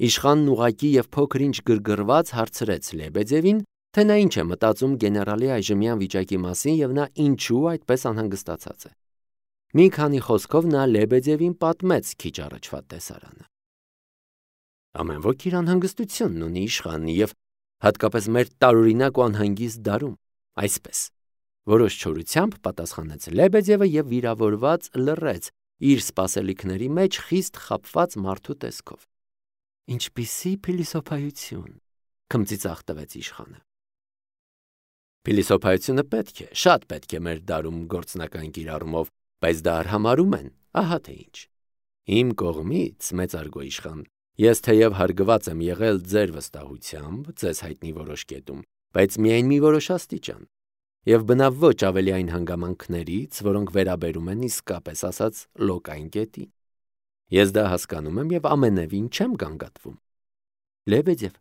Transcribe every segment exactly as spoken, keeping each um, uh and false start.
Իշխանն ուղղակի և փոքր-ինչ գրգռված հարցրեց Լեբեդևին, թե նա ինչ է մտածում գեներալի այժմյան վիճակի մասին և նա ինչու այդպես անհանգստացած է։ Մի քանի խոսքով նա Լեբեդևին պատմեց քիչ առաջվա տեսարանը։ Ամեն ոք իր անհանգստությունն ունի, իշխան, և հատկապես մեր տարօրինակ ու անհանգիստ դարում, այսպես, որոշ չորությամբ պատասխանեց Լեբեդևը և վիրավորված լռեց իր սպասելիքների մեջ խիստ խաբված մարդու տեսքով։ Ինչպիսի փիլիսոփայություն, քմծիծաղ տվեց իշխանը։ Փիլիսոփայությունը պետք է, շատ պետք է մեր դարում գործնական կիրառումով, բայց դա արհամարհում են, ահա թե ինչ։ Իմ կողմից, մեծարգո իշխան, ես թեև հարգված եմ եղել ձեր վստահությամբ, ձեզ հայտնի որոշ կետում, բայց միայն մի որոշ աստիճան, և բնավ ոչ ավելի այն հանգամանքներից, որոնք վերաբերում են իսկապես ասած լոկային կետին։ Ես դա հասկանում եմ և ամենևին չեմ գանգատվում։ Լեբեդև,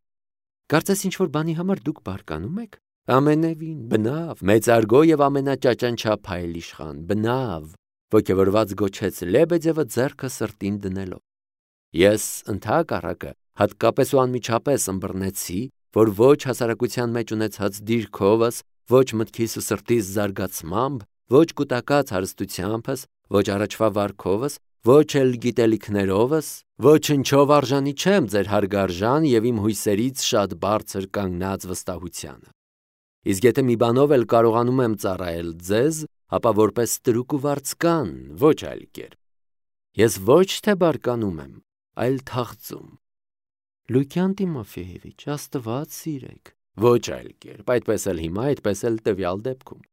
կարծես ինչ-որ բանի համար դուք բարկանում եք։ Ամենևին, բնավ, մեծարգո և ամենաճաճանչափ հայել իշխան, բնավ, ոգևորված գոչեց Լեբեդևը ձեռքը սրտին դնելով։ Ես ընդհակառակը հատկապես ու անմիջապես ըմբռնեցի, որ ոչ հասարակության մեջ ունեցած դիրքովս, ոչ մտքիս ու սրտիս զարգացմամբ, ոչ կուտակած հարստությանս, ոչ առաջվա վարքովս, ոչ էլ գիտելիքներովս, ոչնչով արժանի չեմ ձեր հարգարժան և իմ հույսերից շատ բարձր կանգնած վստահությանը։ Իսկ եթե մի բանով էլ կարողանում եմ ծառայել ձեզ, ապա որպես ստրուկ ու վարձկան, ոչ այլ կերպ։ Ես ոչ թե բարկանում եմ, այլ թախծում։ Լուկյան Տիմոֆեևիչ, Աստված սիրեք, ոչ այլ կերպ, այդպես էլ հիմա, այդպես էլ տվյալ դեպքում։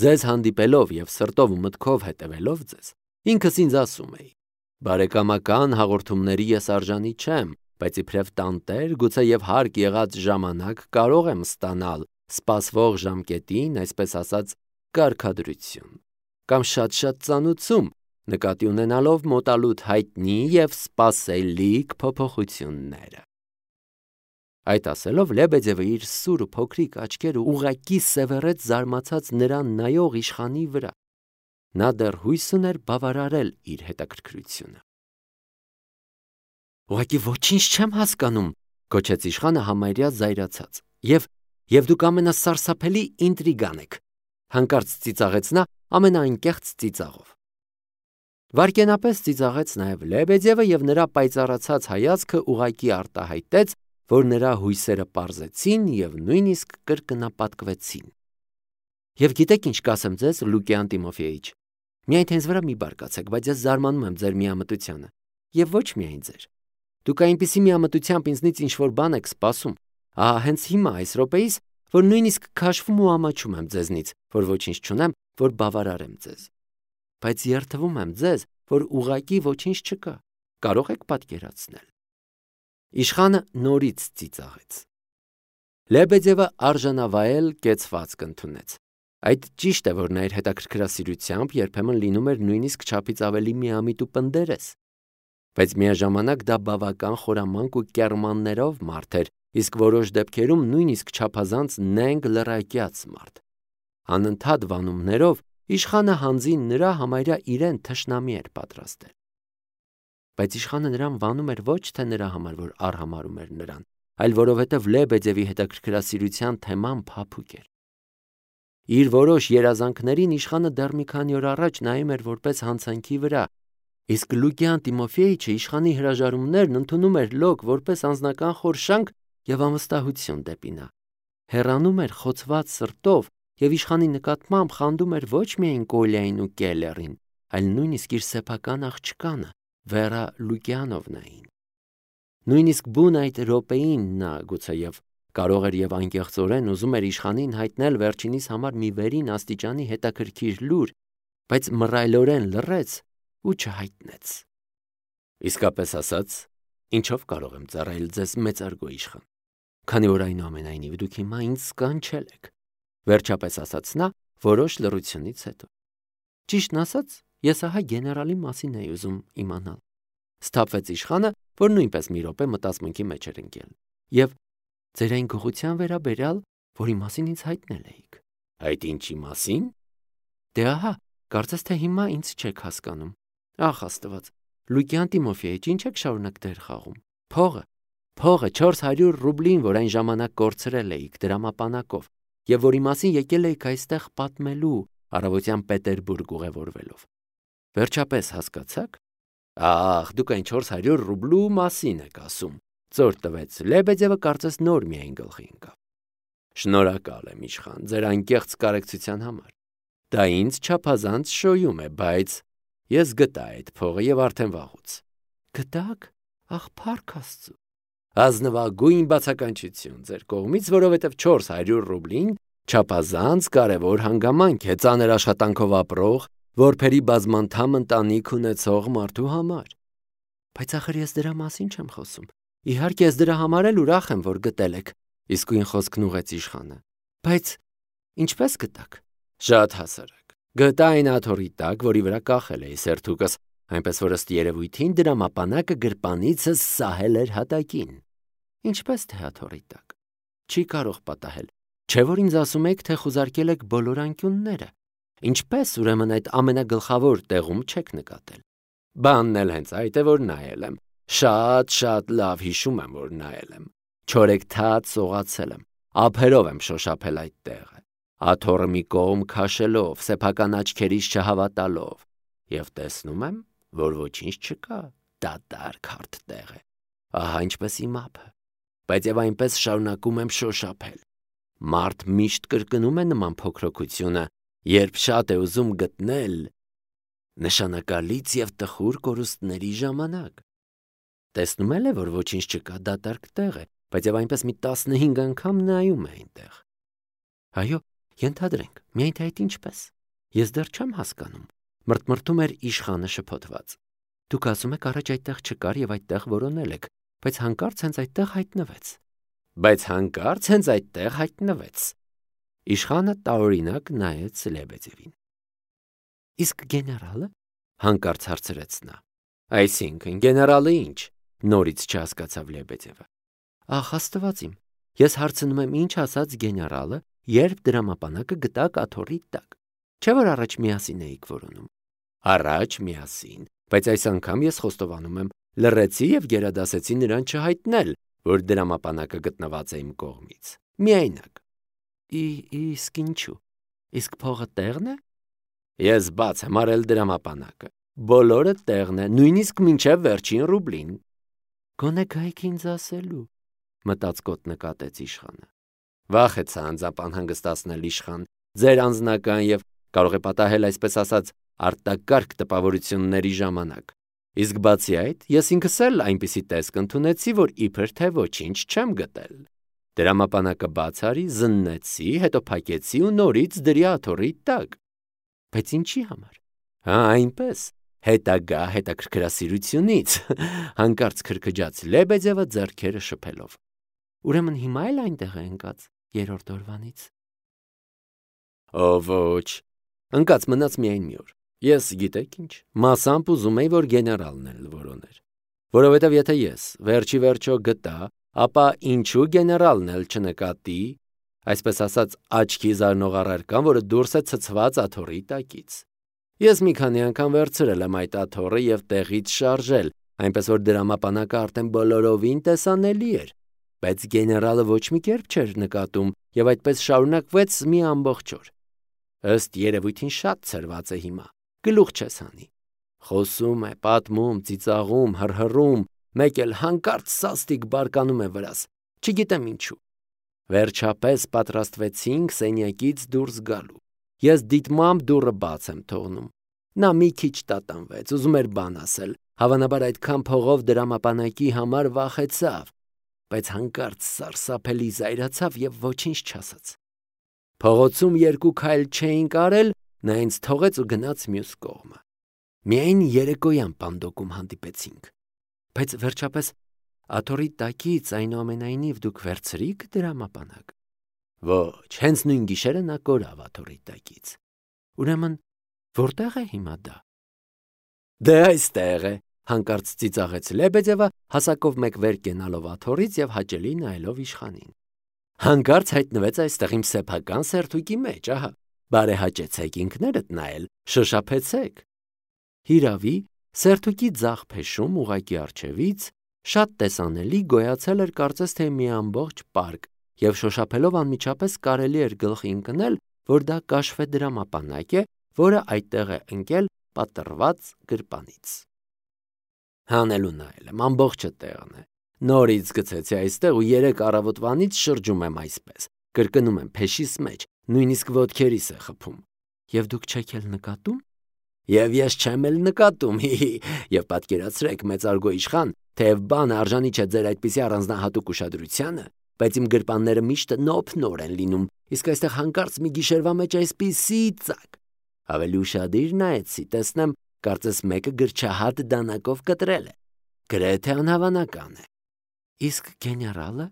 Ձեզ հանդիպելով և սրտով ու մտքով հետևելով ձեզ, ինքս ինձ ասում էի. բարեկամական հաղորդումների ես արժանի չեմ, բայց իբրև տանտեր, գուցե և հարկ եղած ժամանակ կարող եմ ստանալ սպասվող ժամկետին, այսպես ասած, կարգադրություն, կամ շատ-շատ ծանուցում, նկատի ունենալով մոտալուտ հայտնի և սպասելիք փոփոխությունները։ Այդ ասելով Լեբեդևը իր սուր ու փոքրիկ աչքերը ուղղակի սևեռեց զարմացած նրան նայող իշխանի վրա։ Նա դեռ հույս ուներ բավարարել իր հետաքրքրությունը։ Ուղղակի ոչինչ չեմ հասկանում, գոչեց իշխանը համարյա զայրացած, և և դուք ամենասարսափելի ինտրիգան եք, հանկարծ ծիծաղեց նա ամենաանկեղծ ծիծաղով։ Վայրկենապես ծիծաղեց նաև Լեբեդևը և նրա պայծառացած հայացքը ուղղակի արտահայտեց, որ նրա հույսերը պարզեցին և նույնիսկ կրկնապատկվեցին։ Եվ գիտեք ինչ կասեմ ձեզ, Լուկյան Տիմոֆեիչ, միայն թե ինձ վրա մի բարկացեք, բայց ես զարմանում եմ ձեր միամտությանը, և ոչ միայն ձեր։ Դուք այնպիսի միամտությամբ ինձնից ինչ-որ բան եք սպասում, ահա հենց հիմա այս րոպեիս, որ նույնիսկ քաշվում ու ամաչում եմ ձեզնից, որ ոչինչ չունեմ, որ բավարարեմ ձեզ։ Բայց երդվում եմ ձեզ, որ ուղղակի ոչինչ չկա, կարող եք պատկերացնել։ Իշխանը նորից ծիծաղեց։ Լեբեդևը արժանավայել կեցվածք ընդունեց։ Այդ ճիշտ է, որ նա իր հետաքրքրասիրությամբ երբեմն լինում էր նույնիսկ չափից ավելի միամիտ ու պնդերես, բայց միաժամանակ դա բավական խորամանկ ու կեռմաններով մարդ էր, իսկ որոշ դեպքերում նույնիսկ չափազանց նենգ լռակյաց մարդ։ Անընդհատ վանումներով իշխանը հանձին նրա համարյա իրեն թշնամի էր պատրաստել։ Բայց իշխանը նրան վանում էր ոչ թե նրա համար, որ արհամարհում էր նրան, այլ որովհետև Լեբեդևի հետաքրքրասիրության թեման փափուկ էր։ Իր որոշ երազանքներին իշխանը դեռ մի քանի օր առաջ նայում էր որպես հանցանքի վրա, իսկ Լուկյան Տիմոֆեիչը իշխանի հրաժարումներն ընդունում էր լոկ որպես անձնական խորշանք և անվստահություն դեպի նա, հեռանում էր խոցված սրտով և իշխանի նկատմամբ խանդում էր ոչ միայն Կոլյային ու Կելլերին, այլ նույնիսկ իր սեփական աղջկանը, Վերա Լուկյանովնային։ Նույնիսկ բուն այդ րոպեին նա գուցեև կարող էր և անկեղծորեն ուզում էր իշխանին հայտնել վերջինիս համար մի վերին աստիճանի հետաքրքիր լուր, բայց մռայլորեն լռեց ու չհայտնեց։ Իսկապես ասած, ինչով կարող եմ ծառայել ձեզ, մեծարգո իշխան, քանի որ այնուամենայնիվ դուք հիմա ինձ սկանչել եք, վերջապես ասաց նա որոշ լռությունից հետո։ Ճիշտն ասած, ես ահա գեներալի մասին էի ուզում իմանալ։ Սթափվեց իշխանը, որ նույնպես մի րոպե մտածմունքի մեջ էր ընկել։ Եվ ձեր այն գողության վերաբերյալ, որի մասին ինձ հայտնել էիք։ Այդ ինչի մասին։ Դե ահա, կարծես թե հիմա ինձ չեք հասկանում։ Ախ Աստված, Լուկյան Տիմոֆեիչ, ինչ եք շարունակ դեր խաղում։ Փողը, փողը չորս հարյուր ռուբլին, որ այն ժամանակ կորցրել էիք դրամապանակով, եւ որի մասին եկել էիք այստեղ պատմելու, առավոտյան Պետերբուրգ ուղևորվելով։ Վերջապես հասկացաք։ Ախ, դուք այն չորս հարյուր ռուբլու մասին եք ասում, ծոր տվեց Լեբեդևը, կարծես նոր միայն գլխի ընկավ։ Շնորհակալ եմ, իշխան, ձեր անկեղծ կարեկցության համար։ Դա ինձ չափազանց շոյում է, բայց ես գտա այդ փողը եւ արդեն վաղուց։ Գտաք։ Ախ, փառք Աստծո։ Ազնվագույն բացականչություն ձեր կողմից, որովհետև չորս հարյուր ռուբլին չափազանց կարևոր հանգամանք է ծանր աշխատանքով ապրող, որբերի բազմանդամ ընտանիք ունեցող մարդու համար։ Բայց ախր ես դրա մասին չեմ խոսում։ Իհարկե ես դրա համար էլ ուրախ եմ, որ գտել եք, իսկույն խոսքն ուղեց իշխանը։ Բայց ինչպես գտաք։ Շատ հասարակ։ Գտա այն աթոռի տակ, որի վրա կախել էի սերթուկս, այնպես որ ըստ երևույթին դրամապանակը գրպանիցս սահել էր հատակին։ Ինչպես թե աթոռի տակ։ Չի կարող պատահել։ Չէ՞ որ ինձ ասում եք, թե խուզարկել եք բոլոր անկյունները։ Ինչպես ուրեմն այդ ամենագլխավոր տեղում չեք նկատել։ Բանն էլ հենց այդ է, որ նայել եմ։ Շատ-շատ լավ հիշում եմ, որ նայել եմ։ Չորեքթաթ սողացել եմ։ Ափերով եմ շոշափել այդ տեղը։ Աթոռը մի կողմ քաշելով, սեփական աչքերիս չհավատալով, եւ տեսնում եմ, որ ոչինչ չկա, դատարկ հարթ տեղ է։ Ահա ինչպես իմ ափը։ Բայց եւ այնպես շարունակում եմ շոշափել։ Մարդ միշտ կրկնում է նման փոքրοκությունը, երբ շատ է ուզում գտնել նշանակալից եւ տխուր կորուստների ժամանակ։ Տեսնում էլ է, որ ոչինչ չկա, դատարկ տեղ է, բայց եւ այնպես մի տասնհինգ անգամ նայում է այնտեղ։ Այո, ենթադրենք, միայն թե այդ ինչպես։ Ես դեռ չեմ հասկանում։ Մրթմրթում էր իշխանը շփոթված։ Դուք ասում եք առաջ այդտեղ չկար եւ այդտեղ որոնել եք, բայց հանկարծ հենց այդտեղ հայտնվեց։ Բայց հանկարծ հենց այդտեղ հայտնվեց։ Իշխանը տարօրինակ նայեց Լեբեդևին։ Իսկ գեներալը, հանկարծ հարցրեց նա։ Այսինքն գեներալը ինչ, նորից չհասկացավ Լեբեդևը։ Ախ, Աստված իմ, ես հարցնում եմ ինչ ասաց գեներալը, երբ դրամապանակը գտաք աթոռի տակ։ Չէ՞ որ առաջ միասին էիք որոնում։ Առաջ միասին, բայց այս անգամ ես խոստովանում եմ, լռեցի եւ գերադասեցի նրան չհայտնել, որ դրամապանակը գտնված է իմ կողմից։ Միայնակ։ Իսկ ինչու։ Իսկ փողը տեղն է։ Ես բաց եմ արել դրամապանակը։ Բոլորը տեղն է, նույնիսկ մինչև վերջին ռուբլին։ Գոնե գայք ինձ ասելու, մտածկոտ նկատեց իշխանը։ Վախեցա անձապան հանգստացնել իշխան, ձեր անձնական եւ կարող է պատահել այսպես ասած արտակարգ տպավորությունների ժամանակ։ Իսկ բացի այդ, ես ինքս էլ այնպիսի տեսք ընդունեցի, որ իբր թե ոչինչ չեմ գտել։ Դրամապանակը բաց արի, զննեցի, հետո փակեցի ու նորից դրի աթոռի տակ։ Բայց ինչի համար։ Հա, այնպես, հետագա հետաքրքրասիրությունից, հանկարծ քրքջաց Լեբեդևը ձեռքերը շփելով։ Ուրեմն հիմա էլ այնտեղ է ընկած երրորդ օրվանից։ Ո ոչ, ընկած մնաց միայն մի օր։ Ես գիտեք ինչ, մասամբ ուզում էի, որ գեներալն էլ որոներ։ Որովհետև եթե ես վերջի վերջո գտա, ապա ինչու գեներալն էլ չնկատի, այսպես ասած աչքի զարնող առարկան, որը դուրս է ցցված աթոռի տակից։ Ես մի քանի անգամ վերցրել եմ այդ աթոռը եւ տեղից շարժել, այնպես որ դրամապանակը արդեն բոլորովին տեսանելի էր, բայց գեներալը ոչ մի կերպ չէր նկատում եւ այդպես շարունակվեց մի ամբողջ օր։ Ըստ երևույթին շատ ցրված է հիմա, գլուխ չես հանի։ Խոսում է, պատմում, ծիծաղում, հռհռում, մեկ էլ հանկարծ սաստիկ բարկանում է վրաս, չգիտեմ ինչու։ Վերջապես պատրաստվեցինք սենյակից դուրս գալու։ Ես դիտմամբ դուռը բաց եմ թողնում։ Նա մի քիչ տատանվեց, ուզում էր բան ասել, հավանաբար այդքան փողով դրամապանակի համար վախեցավ, բայց հանկարծ սարսափելի զայրացավ եւ ոչինչ չասաց։ Փողոցում երկու քայլ չէինք արել, նա ինձ թողեց ու գնաց մյուս կողմը։ Միայն երեկոյան պանդոկում հանդիպեցինք։ Բայց վերջապես աթոռի տակից այնուամենայնիվ դուք վերցրիք դրամապանակ։ Ոչ, հենց նույն գիշերը նա կորավ աթոռի տակից։ Ուրեմն որտեղ է հիմա դա։ Դե այստեղ է, հանկարծ ծիծաղեց Լեբեդևը, հասակով մեկ վեր կենալով աթոռից եւ հաճելի նայելով իշխանին։ Հանկարծ հայտնվեց այստեղ իմ սեփական սերթուկի մեջ, ահա։ Բարեհաճեցեք ինքներդ նայել, շոշափեցեք։ Հիրավի, սերթուկի ձախ փեշում ուղակի առջևից Շատ տեսանելի գոյացել էր կարծես թե մի ամբողջ պարկ, եւ շոշափելով անմիջապես կարելի էր գլխի ընկնել, որ դա կաշվե դրամապանակ է, որը այդտեղ է ընկել պատռված գրպանից։ Հանելու նայել եմ, ամբողջը տեղն է։ Նորից գցեցի այստեղ ու երեք առավոտվանից շրջում եմ այսպես, կրկնում եմ փեշիս մեջ, նույնիսկ ոտքերիս է խփում։ Եվ դուք չեք էլ նկատում։ Եվ ես չեմ էլ նկատում, հի-հի, եւ պատկերացրեք, մեծարգո իշխան, թեև բանը արժանի չէ ձեր այդպիսի առանձնահատուկ ուշադրությանը, բայց իմ գրպանները միշտ նոփ-նոր են լինում, իսկ այստեղ հանկարծ մի գիշերվա մեջ այսպիսի ծակ։ Ավելի ուշադիր նայեցի, տեսնեմ, կարծես մեկը գրչահատ դանակով կտրել է։ Գրեթե անհավանական է։ Իսկ գեներալը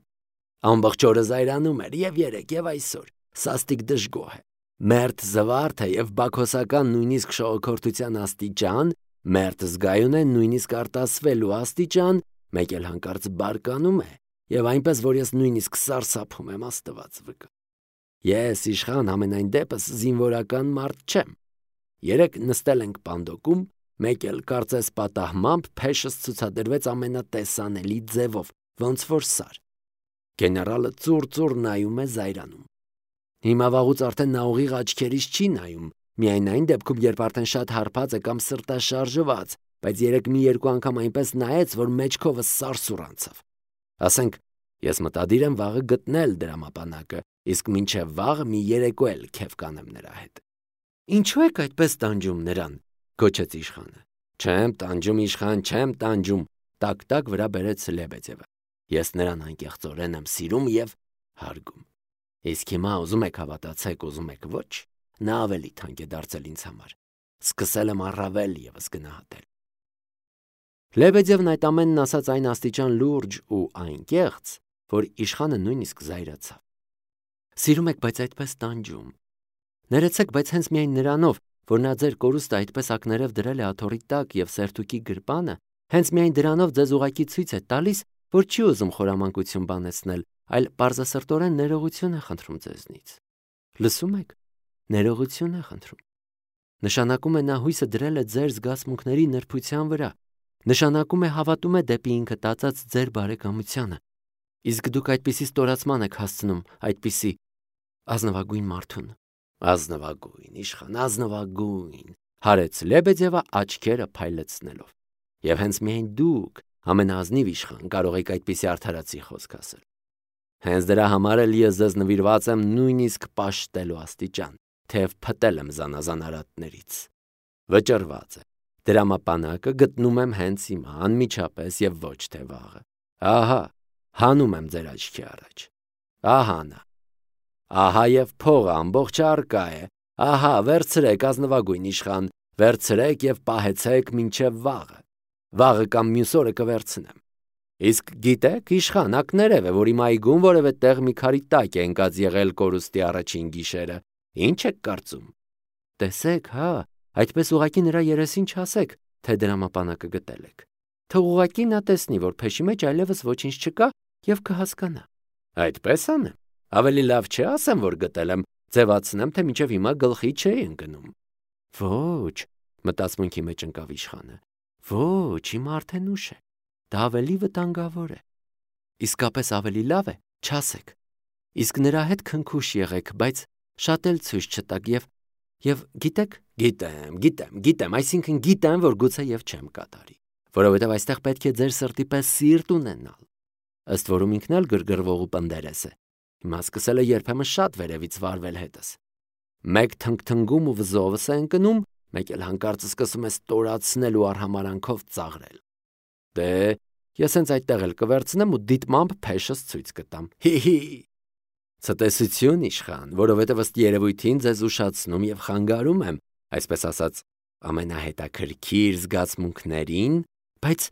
ամբողջ օրը զայրանում էր եւ երեք եւ այսօր, սաստիկ դժգոհ է։ Մերթ զվարթ է եւ բաքոսական նույնիսկ շողոքորթության աստիճան, մերթ զգայուն է նույնիսկ արտասվելու աստիճան, մեկ էլ հանկարծ բարկանում է եւ այնպես, որ ես նույնիսկ սարսափում եմ, Աստված վկա։ Ես իշխան ամենայն դեպս զինվորական մարդ չեմ։ Երեք նստել ենք պանդոկում, մեկ էլ կարծես պատահմամբ փեշս ցուցադրվեց ամենատեսանելի ձևով, ոնց որ սար։ Գեներալը ծուռ-ծուռ նայում է զայրանում։ Հիմա վաղուց արդեն նա ուղիղ աչքերից չի նայում, միայն այն դեպքում, երբ արդեն շատ հարբած է կամ սրտաշարժված, բայց երեք մի երկու անգամ այնպես նայեց, որ մեջքովս սարսուռ անցավ։ Ասենք, ես մտադիր եմ վաղը գտնել դրամապանակը, իսկ մինչև վաղը մի երեկո էլ քեֆ կանեմ նրա հետ։ Ինչու եք այդպես տանջում նրան, գոչեց իշխանը։ Չեմ տանջում, իշխան, չեմ տանջում, տակ-տակ վրա բերեց Լեբեդևը։ Ես նրան անկեղծորեն եմ սիրում եւ հարգում։ Իսկ հիմա ուզում եք հավատացեք, ուզում եք ոչ, նա ավելի թանկ է դարձել ինձ համար։ Սկսել եմ առավել եւս գնահատել։ Լեբեդևն այդ ամենն ասաց այն աստիճան լուրջ ու անկեղծ, որ իշխանը նույնիսկ զայրացավ։ Սիրում եք, բայց այդպես տանջում։ Ներեցեք, բայց հենց միայն նրանով, որ նա ձեր կորուստը այդպես ակներև դրել է աթոռի տակ եւ սերտուկի գրպանը, հենց միայն դրանով ձեզ ուղակի ցույց է տալիս, որ չի ուզում խորամանկություն բանեցնել, այլ պարզասրտորեն ներողություն է խնդրում ձեզնից։ Լսում եք, ներողություն է խնդրում։ Նշանակում է նա հույսը դրել է ձեր զգացմունքների նրբության վրա, նշանակում է հավատում է դեպի ինքը տածած ձեր բարեկամությանը, իսկ դուք այդպիսի ստորացման եք հասցնում, այդպիսի ազնվագույն մարդուն։ Ազնվագույն, իշխան, ազնվագույն, հարեց Լեբեդևը աչքերը փայլեցնելով։ Եվ հենց միայն դուք, ամենաազնիվ իշխան, կարող եք այդպիսի արդարացի խոսք ասել։ Հենց դրա համար էլ ես ձեզ նվիրված եմ նույնիսկ պաշտելու աստիճան, թեև փտել եմ զանազան արատներից։ Վճռված է։ Դրամապանակը գտնում եմ հենց հիմա, անմիջապես եւ ոչ թե վաղը։ Ահա, հանում եմ ձեր աչքի առաջ։ Ահա նա։ Ահա եւ փողը ամբողջ արկա է։ Ահա, վերցրեք, ազնվագույն իշխան, վերցրեք եւ պահեցեք մինչեւ վաղը։ Վաղը կամ մյուս օրը կվերցնեմ։ Իսկ գիտեք, իշխան, ակներև է, որ իմ այգում որևէ տեղ մի քարի տակ է ընկած եղել կորուստի առաջին գիշերը։ Ինչ եք կարծում։ Տեսեք, հա, այդպես ուղակի նրա երեսին չասեք, թե դրամապանակը գտել եք։ Թող ուղակի նա տեսնի, որ փեշի մեջ այլևս ոչինչ չկա եւ կհասկանա։ Այդպես անեմ։ Ավելի լավ չէ ասեմ, որ գտել եմ, ձևացնեմ, թե մինչև հիմա գլխի չէի ընկնում։ Ոչ, մտածմունքի մեջ ընկավ իշխանը։ Ոչ, հիմա արդեն ուշ է։ Դա ավելի վտանգավոր է։ Իսկապես ավելի լավ է, չասեք։ Իսկ նրա հետ քնքուշ եղեք, բայց շատ էլ ցույց չտաք եւ եւ գիտեք, գիտեմ, գիտեմ, գիտեմ, այսինքն գիտեմ, որ գուցե եւ չեմ կատարի, որովհետեւ այստեղ պետք է ձեր սրտի պես սիրտ ունենալ։ Ըստ որում ինքն էլ գրգռվող ու պնդերես է։ Հիմա սկսել է երբեմն շատ վերևից վարվել հետս։ Մեկ թնգթնգում ու վզովս է ընկնում, մեկ էլ հանկարծ սկսում է ստորացնել ու արհամարանքով ծաղրել։ Դե, ես հենց այդտեղ էլ կվերցնեմ ու դիտմամբ փեշս ցույց կտամ։ Հի-հի։ Ցտեսություն իշխան, որովհետև ըստ երևույթին ձեզ ուշացնում եւ խանգարում եմ, այսպես ասած, ամենահետաքրքիր զգացմունքներին, բայց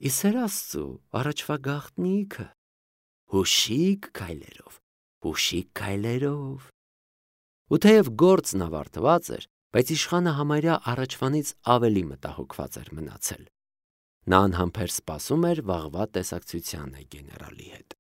իսեր Աստծու, առաջվա գաղտնիքը, հուշիկ քայլերով, հուշիկ քայլերով։ Ու թեև գործն ավարտված էր, բայց իշխանը համարյա առաջվանից ավելի մտահոգված էր մնացել։ Նա անհամբեր սպասում էր վաղվա տեսակցությանը գեներալի հետ։